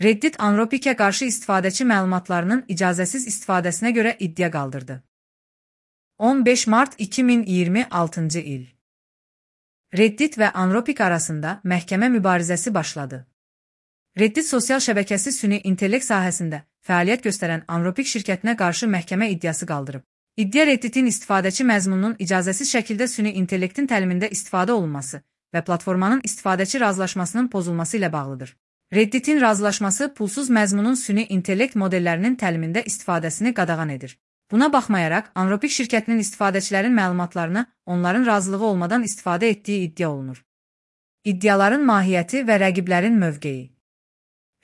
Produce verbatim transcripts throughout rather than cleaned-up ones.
Reddit Anthropic'e qarşı istifadəçi məlumatlarının icazəsiz istifadəsinə görə iddia qaldırdı. on beş mart iki min iyirmi altıncı il. Reddit və Anthropic arasında məhkəmə mübarizəsi başladı. Reddit sosial şəbəkəsi süni intellekt sahəsində fəaliyyət göstərən Anthropic şirkətinə qarşı məhkəmə iddiası qaldırıb. İddia Reddit'in istifadəçi məzmununun icazəsiz şəkildə süni intellektin təlimində istifadə olunması və platformanın istifadəçi razılaşmasının pozulması ilə bağlıdır. Reddit'in razılaşması pulsuz məzmunun süni intellekt modellərinin təlimində istifadəsini qadağan edir. Buna baxmayaraq, Anthropic şirkətinin istifadəçilərin məlumatlarını onların razılığı olmadan istifadə etdiyi iddia olunur. İddiaların mahiyyəti və rəqiblərin mövqeyi.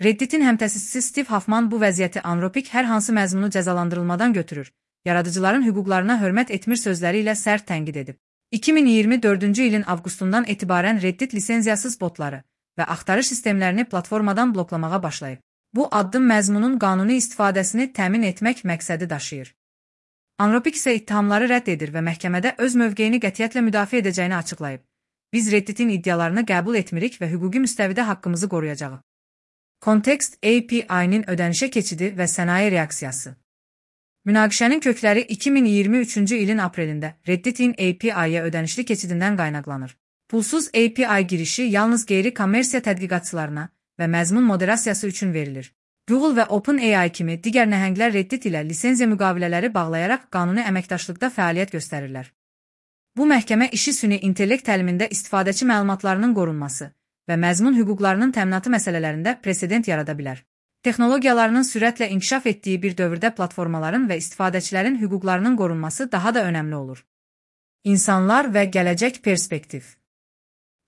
Reddit'in həmtəsisçisi Steve Huffman bu vəziyyəti Anthropic hər hansı məzmunu cəzalandırılmadan götürür, yaradıcıların hüquqlarına hörmət etmir sözləri ilə sərt tənqid edib. iki min iyirmi dördüncü ilin avqustundan etibarən Reddit lisenziyasız botları və axtarış sistemlərini platformadan bloklamağa başlayıb. Bu addım məzmunun qanuni istifadəsini təmin etmək məqsədi daşıyır. Anthropic isə ittihamları rədd edir və məhkəmədə öz mövqeyini qətiyyətlə müdafiə edəcəyini açıqlayıb. Biz Reddit'in iddialarını qəbul etmirik və hüquqi müstəvidə haqqımızı qoruyacağıq. Kontekst A P I-nin ödənişə keçidi və sənaye reaksiyası. Münaqişənin kökləri iki min iyirmi üçüncü ilin aprelində Reddit'in A P I-yə ödənişli keçidindən qaynaqlanır. Pulsuz A P I girişi yalnız qeyri-kommersiya tədqiqatçılarına və məzmun moderasiyası üçün verilir. Google və OpenAI kimi digər nəhənglər Reddit ilə lisenziya müqavilələri bağlayaraq qanuni əməkdaşlıqda fəaliyyət göstərirlər. Bu məhkəmə işi süni intellekt təlimində istifadəçi məlumatlarının qorunması və məzmun hüquqlarının təminatı məsələlərində presedent yarada bilər. Texnologiyalarının sürətlə inkişaf etdiyi bir dövrdə platformaların və istifadəçilərin hüquqlarının qorunması daha da önəmli olur. İnsanlar və gələcək perspektiv.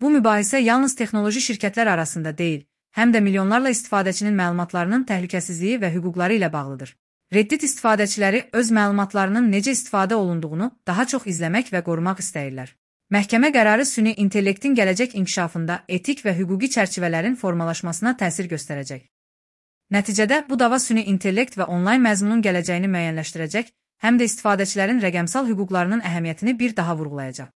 Bu mübahisə yalnız texnoloji şirkətlər arasında deyil, həm də milyonlarla istifadəçinin məlumatlarının təhlükəsizliyi və hüquqları ilə bağlıdır. Reddit istifadəçiləri öz məlumatlarının necə istifadə olunduğunu daha çox izləmək və qorumaq istəyirlər. Məhkəmə qərarı süni intellektin gələcək inkişafında etik və hüquqi çərçivələrin formalaşmasına təsir göstərəcək. Nəticədə bu dava süni intellekt və onlayn məzmunun gələcəyini müəyyənləşdirəcək, həm də istifadəçilərin rəqəmsal hüquqlarının əhəmiyyətini bir daha vurğulayacaq.